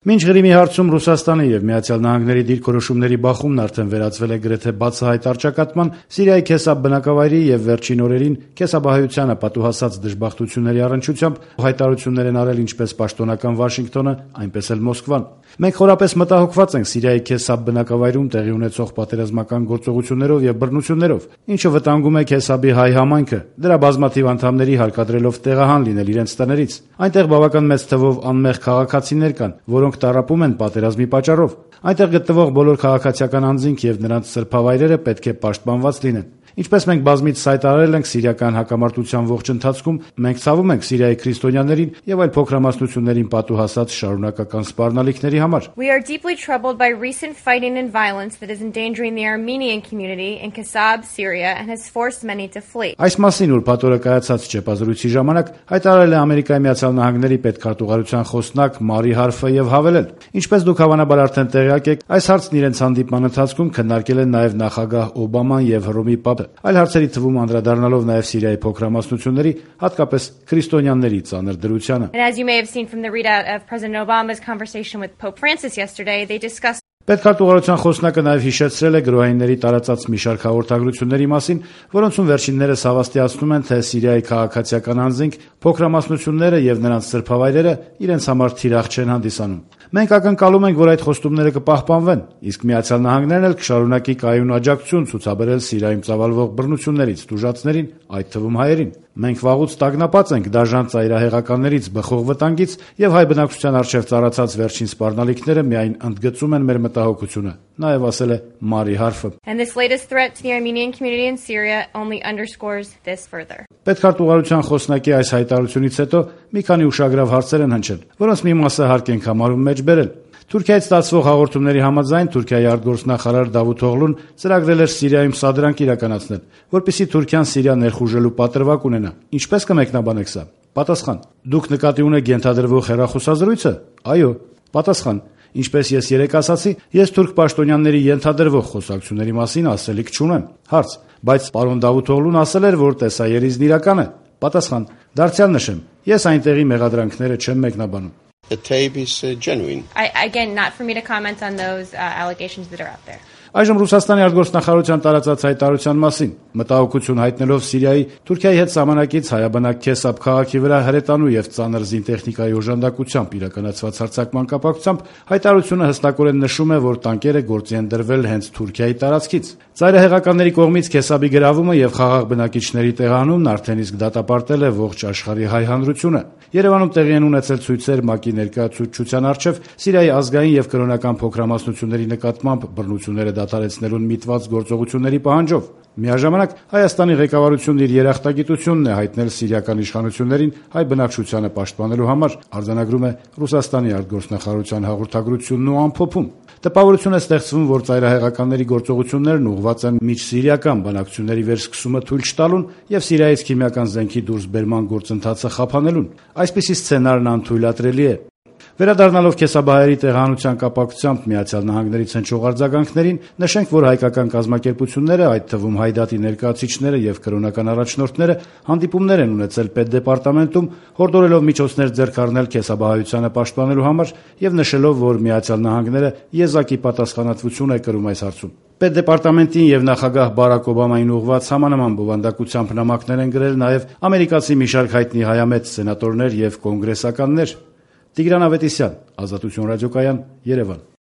Մինչ Ղրիմի հարցում Ռուսաստանի եւ Միացյալ Նահանգների դիրքորոշումների բախումն արդեն վերածվել է գրեթե բացահայտ առճակատման, Սիրիայի Քեսաբ բնակավայրի եւ վերջին օրերին Քեսաբահայությանը պատուհասած դժբախտությունների առնչությամբ հայտարարություններ են արել ինչպես պաշտոնական Վաշինգտոնը, այնպես էլ Մոսկվան։ Մենք խորապես մտահոգված ենք Սիրիայի Քեսաբ բնակավայրում տեղի ունեցող պատերազմական գործողություններով եւ բռնություններով, ինչը վտանգում է Քեսաբի հայ համայնքը, դրա բազմաթիվ անդամների հարկադրելով տեղահան լինել իրենց տներից։ Այնտեղ բավական մեծ թվով անմեղ քաղաքացիներ կան, որոնք տառապում են պատերազմի պատճառով։ Այնտեղ գտնվող բոլոր քաղաքացիական անձինք եւ նրանց սրբավայրերը պետք է պաշտպանված լինեն։ Ինչպես մենք բազմիցս հայտարարել ենք սիրիական հակամարտության ողջ ընթացքում, մենք ցավում ենք Սիրիայի քրիստոնյաներին եւ այլ փոքրամասնություններին պատուհասած շարունակական սպառնալիքների համար։ We are deeply troubled by recent fighting and violence that is endangering the Armenian community in Kasab, Syria and has forced many to flee. Այս մասին ուրբաթօրը կայացած ճեպազրույցի ժամանակ հայտարարել է Ամերիկայի Միացյալ Նահանգների պետքարտուղարության խոսնակ Մարի Հարֆը եւ հավելել. Ինչպես դուք հավանաբար արդեն տեղյակ եք, այս հարցն իրենց հանդիպման ընթացքում քննարկել են նաեւ նախագահ Օբաման եւ Հռոմի Պապը, այլ հարցերի թվում անդրադառնալով նաեւ Սիրիայի փոքրամասնությունների, հատկապես քրիստոնյաների ծանր դրությանը։ And as you may have seen from the readout of President Obama's conversation with Pope Francis yesterday, they discussed Պետքարտուղարության խոսնակը նաև հիշեցրել է գրոհայինների տարածած մի շարք հաղորդագրությունների մասին, որոնցում վերջիններս հավաստիացնում են, թե Սիրիայի քաղաքացիական անձինք, փոքրամասնությունները եւ նրանց սրբավայրերը իրենց համար թիրախ չեն հանդիսանում։ Մենք ակնկալում ենք, որ այդ խոստումները կպահպանվեն, իսկ Միացյալ Նահանգներն էլ կշարունակի կայուն աջակցություն ցուցաբերել Սիրիայում ծավալվող բռնություններից տուժածներին, այդ թվում հայերին։ Մենք վաղուց տագնապած ենք դաժան ծայրահեղականներից բխող վտանգից եւ հայ բնակչության առջեւ ծառացած վերջին սպառնալիքները միայն ընդգծում են մեր մտահոգությունը, նաեւ ասել է Մարի Հարֆը։ And this latest threat to the Armenian community in Syria only underscores this further. Պետքարտուղարության խոսնակի այս հայտարարությունից հետո մի քանի ուշագրավ հարցեր են հնչել, որոնց մի մասը հարկ ենք համարում մեջ բերել։ Թուրքիայից ստացվող հաղորդումների համաձայն Թուրքիայի արտգործնախարար Դավութ Օղլուն ծրագրել էր Սիրիայում սադրանք իրականացնել, որպեսզի Թուրքիան Սիրիա ներխուժելու պատրվակ ունենա։ Ինչպես կմեկնաբանեք սա։ Պատասխան. Դուք նկատի ունեք ենթադրվող հեռախոսազրույցը։ Այո։ Պատասխան. Ինչպես ես երեկ ասացի, ես թուրք պաշտոնյաների ենթադրվող խոսակցությունների մասին ասելիք չունեմ։ Հարց. բայց պարոն Դավութ Օղլուն ասել էր, որ տեսաերիզն իրական է։ Պատասխան. դարձյալ նշեմ, ես այնտեղի մեղադրանքները չեմ մեկնաբանում։ The tape is genuine. Again, not for me to comment on those allegations that are out there. Այժմ Ռուսաստանի արտգործնախարարության տարածած հայտարարության մասին մտահոգություն հայտնելով Սիրիայի Թուրքիայի հետ սահմանակից հայաբնակ Քեսաբ քաղաքի վրա հրետանու եւ ծանր զինտեխնիկայի օժանդակությամբ իրականացված հարձակման կապակցությամբ հայտարարությունը հստակորեն նշում է, որ տանկերը գործի են դրվել հենց Թուրքիայի տարածքից։ Ծայրահեղականների կողմից Քեսաբի գրավումը եւ խաղաղ բնակիչների տեղահանումն արդեն իսկ դատապարտել է ողջ աշխարհի հայ հանրությունը։ Երևանում տեղի են ունեցել ցույցեր ՄԱԿ-ի ներկայացուցչության առջև Սիրիայի ազգային եւ կրոնական փոքրամասնությունների նկատմամբ բռնությունները դադարեցնելուն միտված գործողությունների պահանջով։ Միաժամանակ Հայաստանի ղեկավարությունն իր երախտագիտությունն է հայտնել սիրիական իշխանություններին հայ բնակչությանը պաշտպանելու համար, արձանագրում է Ռուսաստանի արտգործնախարարության հաղորդագրությունն ու ամփոփում։ Տպավորություն է ստեղծվում, որ ծայրահեղականների գործողություններն ուղղված են միջսիրիական բանակցությունների վերսկսումը թույլ չտալուն եւ Սիրիայից քիմիական զենքի դուրսբերման գործընթացը խափանելուն։ Այսպիսի սցենարն անթույլատրելի է։ Վերադառնալով Քեսաբահայերի տեղահանության կապակցությամբ Միացյալ Նահանգներից հնչող արձագանքներին, նշենք, որ հայկական կազմակերպությունները, այդ թվում Հայդատի ներկայացուցիչները եւ կրոնական առաջնորդները հանդիպումներ են ունեցել պետդեպարտամենտում, հորդորելով միջոցներ ձեռք առնել Քեսաբահայությանը պաշտպանելու համար եւ նշելով, որ Միացյալ Նահանգները եզակի պատասխանատվություն է կրում այս հարցում։ Պետդեպարտամենտին եւ նախագահ Բարակ Օբամային ուղղված համանման բովանդակությամբ նամակներ են գրել նաեւ ամերիկացի մի շարք հայտնի հայամետ սենատորներ եւ կոնգրեսականներ։ Տիգրան Ավետիսյան, Ազատություն ռադիոկայան, Երևան։